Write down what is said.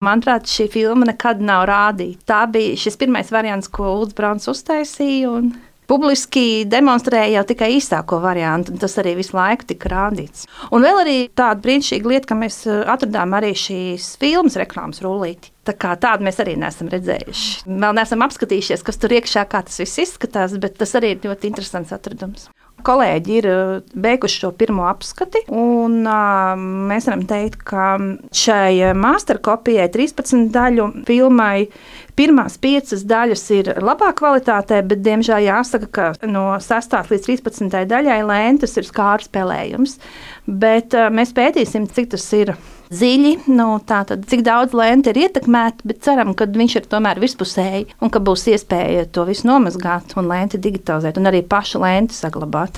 Manuprāt, šī filma nekad nav rādīta. Tā bija šis pirmais variants, ko Ulds Brauns uztaisīja, un publiski demonstrēja jau tikai īsāko variantu, un tas arī visu laiku tika rādīts. Un vēl arī tāda brīnišķīga lieta, ka mēs atradām arī šīs filmas reklāmas rullīti. Tā kā tādu mēs arī neesam redzējuši. Vēl neesam apskatījušies, kas tur iekšā, kā tas viss izskatās, bet tas arī ir ļoti interesants atradums. Kolēģi ir beiguši šo pirmo apskati, un mēs varam teikt, ka šai masterkopijai 13 daļu filmai pirmās 5 daļas ir labā kvalitātē, bet, diemžēl, jāsaka, ka no 6. līdz 13. daļai lentes ir skārs spēlējums. Bet mēs pētīsim, cik tas ir dziļi, tātad, cik daudz lente ir ietekmēta, bet ceram, ka viņš ir tomēr virspusēji un ka būs iespēja to visu nomazgāt un lenti digitalizēt un arī pašu lenti saglabāt.